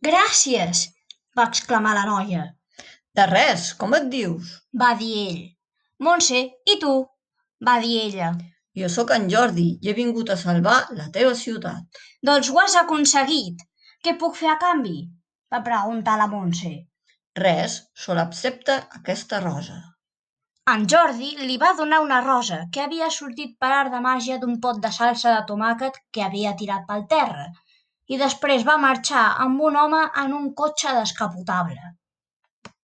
Gràcies! Va exclamar la noia. De res, com et dius? Va dir ell. Montse, i tu? Va dir ella. Jo sóc en Jordi i he vingut a salvar la teva ciutat. Doncs ho has aconseguit. Què puc fer a canvi? Va preguntar la Montse. Res, sol accepta aquesta rosa. En Jordi li va donar una rosa que havia sortit per art de màgia d'un pot de salsa de tomàquet que havia tirat pel terra i després va marxar amb un home en un cotxe descapotable.